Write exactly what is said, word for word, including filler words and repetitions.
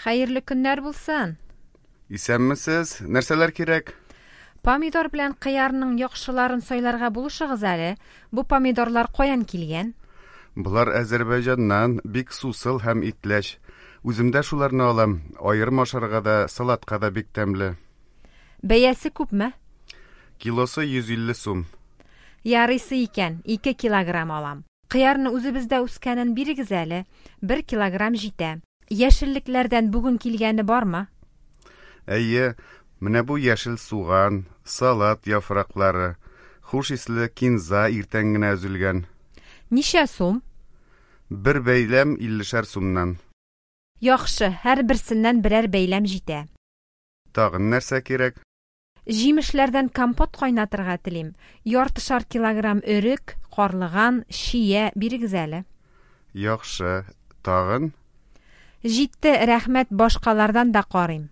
Хәерле көннәр булсын! Исәнмесез, нәрсәләр кирәк? Помидор белән кыярның яхшыларын сайларга булышыгыз әле. Бу помидорлар каян килгән? Болар Азәрбайҗаннан, бик сусыл һәм итләч. Үзем дә шуларны алам. Аерым ашарга да, салатка да бик тәмле. Бәясе күпме? Килосы йөз илле сум. Ярыйсы икән, ике килограмм алам. Кыярны үзебездә үскәнен бирегез әле, бер килограмм җитә. Яшеллекләрдән бүген килгәне бармы? Әйе, менә бу яшел суган, салат яфраклары, хуш исле кинза иртән генә өзелгән. Ничә сум? Бер бәйләм иллешәр сумнан. Яхшы, һәрберсеннән берәр бәйләм җитә. Тагын нәрсә кирәк? Җимешләрдән компот кайнатырга телим. Яртышар килограмм өрек, карлыган, чия бирегез әле. Яхшы, тагын? Җитте, рәхмәт, башкалардан да карыйм.